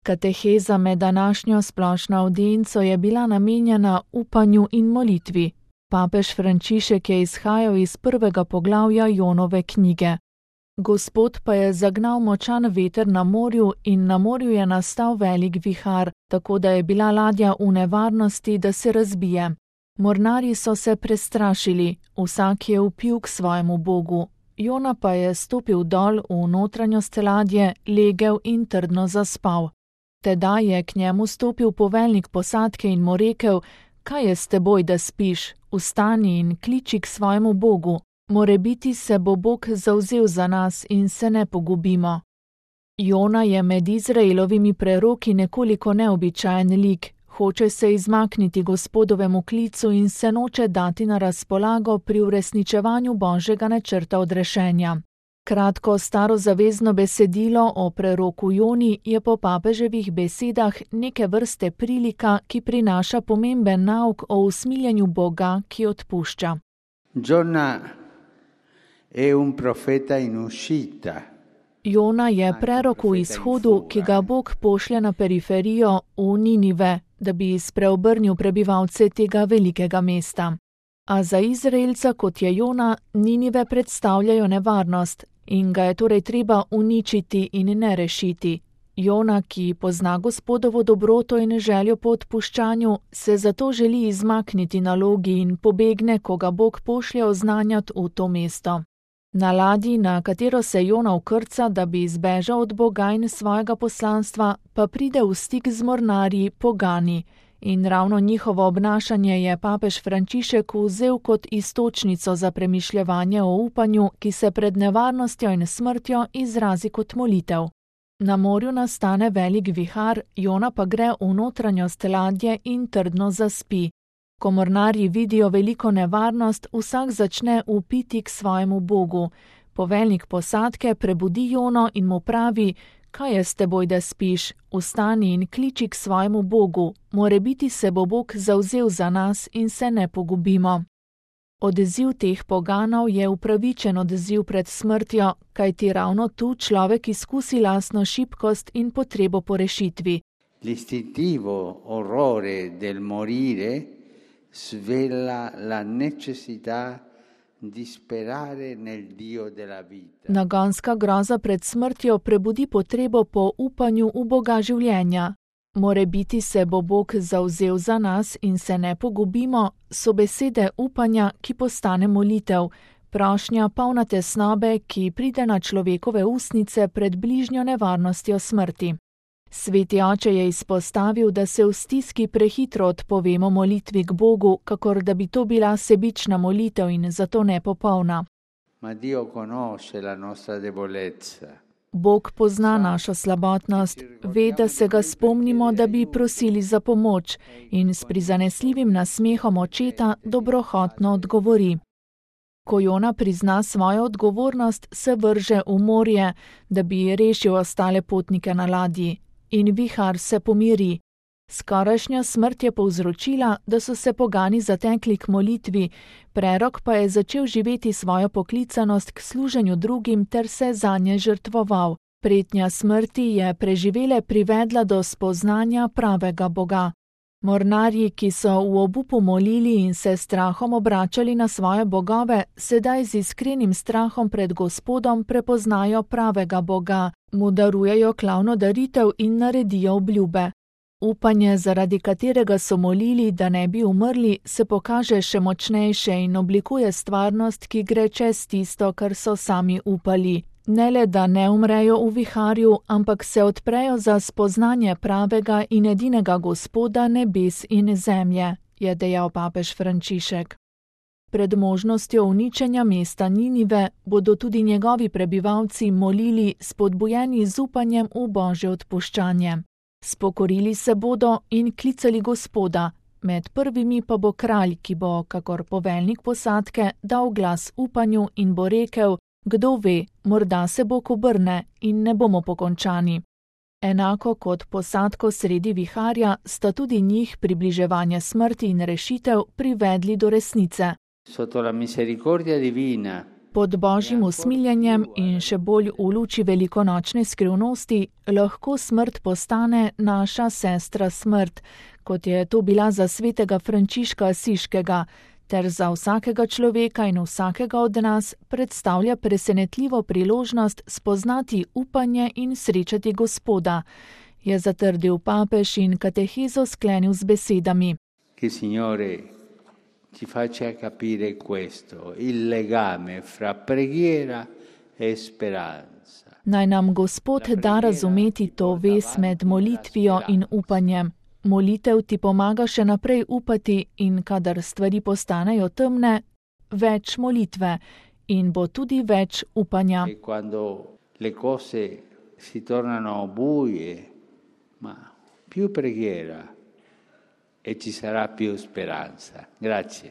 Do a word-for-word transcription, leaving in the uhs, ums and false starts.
Kateheza med današnjo splošno avdienco je bila namenjena upanju in molitvi. Papež Frančišek je izhajal iz prvega poglavja Jonove knjige. Gospod pa je zagnal močan veter na morju in na morju je nastal velik vihar, tako da je bila ladja v nevarnosti, da se razbije. Mornarji so se prestrašili, vsak je vpil k svojemu bogu. Jona pa je stopil dol v notranjost ladje, legel in trdno zaspal. Tedaj je k njemu stopil poveljnik posadke in mu rekel: Kaj je s teboj, da spiš? Vstani in kliči k svojemu bogu. Morebiti se bo Bog zavzel za nas in se ne pogubimo. Jona je med Izraelovimi preroki nekoliko neobičajen lik. Hoče se izmakniti Gospodovemu klicu in se noče dati na razpolago pri uresničevanju Božjega načrta odrešenja. Kratko starozavezno besedilo o preroku Joni je po papeževih besedah neke vrste prilika, ki prinaša pomemben nauk o usmiljenju Boga, ki odpušča. Jona je un profeta in uscita. Jona je prerok v izhodu, ki ga Bog pošlje na periferijo v Ninive, da bi spreobrnil prebivalce tega velikega mesta. A za Izraelca, kot je Jona, Ninive predstavljajo nevarnost in ga je torej treba uničiti in ne rešiti. Jona, ki pozna Gospodovo dobroto in željo po odpuščanju, se zato želi izmakniti nalogi in pobegne, ko ga Bog pošlje oznanjati v to mesto. Na ladji, na katero se Jona vkrca, da bi izbežal od Boga in svojega poslanstva, pa pride v stik z mornarji pogani. In ravno njihovo obnašanje je papež Frančišek vzel kot iztočnico za premišljevanje o upanju, ki se pred nevarnostjo in smrtjo izrazi kot molitev. Na morju nastane velik vihar, Jona pa gre v notranjost ladje in trdno zaspi. Ko mornarji vidijo veliko nevarnost, vsak začne vpiti k svojemu bogu. Poveljnik posadke prebudi Jono in mu pravi: Kaj je s teboj, da spiš? Vstani in kliči k svojemu bogu. Morebiti se bo Bog zavzel za nas in se ne pogubimo. Odziv teh poganov je upravičen odziv pred smrtjo, kajti ravno tu človek izkusi lastno šibkost in potrebo po rešitvi. L'istintivo orrore del morire svela la necessità di sperare nel Dio della vita. Nagonska groza pred smrtjo prebudi potrebo po upanju v Boga življenja. Morebiti se bo Bog zavzel za nas in se ne pogubimo, so besede upanja, ki postane molitev, prošnja polna tesnobe, ki pride na človekove ustnice pred bližnjo nevarnostjo smrti. Sveti oče je izpostavil, da se v stiski prehitro odpovemo molitvi k Bogu, kakor da bi to bila sebična molitev in zato nepopolna. Ma Dio conosce la nostra debolezza. Bog pozna našo slabotnost, ve, da se ga spomnimo, da bi prosili za pomoč in s prizanesljivim nasmehom očeta dobrohotno odgovori. Ko Jona prizna svojo odgovornost, se vrže v morje, da bi rešil ostale potnike na ladji. In vihar se pomiri. Skorajšnja smrt je povzročila, da so se pogani zatekli k molitvi, prerok pa je začel živeti svojo poklicanost k služenju drugim ter se zanje žrtvoval. Pretnja smrti je preživele privedla do spoznanja pravega Boga. Mornarji, ki so v obupu molili in se strahom obračali na svoje bogove, sedaj z iskrenim strahom pred Gospodom prepoznajo pravega Boga, mu darujejo klavno daritev in naredijo obljube. Upanje, zaradi katerega so molili, da ne bi umrli, se pokaže še močnejše in oblikuje stvarnost, ki gre čez tisto, kar so sami upali. Ne le, da ne umrejo v viharju, ampak se odprejo za spoznanje pravega in edinega Gospoda nebes in zemlje, je dejal papež Frančišek. Pred možnostjo uničenja mesta Ninive bodo tudi njegovi prebivalci molili, spodbujeni z upanjem v Božje odpuščanje. Spokorili se bodo in klicali Gospoda, med prvimi pa bo kralj, ki bo, kakor poveljnik posadke, dal glas upanju in bo rekel: Kdo ve, morda se Bog obrne in ne bomo pokončani. Enako kot posadko sredi viharja sta tudi njih približevanje smrti in rešitev privedli do resnice. Sotto la misericordia divina. Pod božjim usmiljenjem in še bolj v luči velikonočne skrivnosti lahko smrt postane naša sestra smrt, kot je to bila za svetega Frančiška Asiškega, ter za vsakega človeka in vsakega od nas predstavlja presenetljivo priložnost spoznati upanje in srečati Gospoda, je zatrdil papež in katehezo sklenil z besedami. Che Signore ci faccia capire questo, il legame fra preghiera e speranza. Naj nam Gospod da razumeti to vez med molitvijo in upanjem. Molitev ti pomaga še naprej upati in kadar stvari postanejo temne, več molitve in bo tudi več upanja. E quando le cose si tornano buie, ma più preghiera e ci sarà più speranza. Grazie.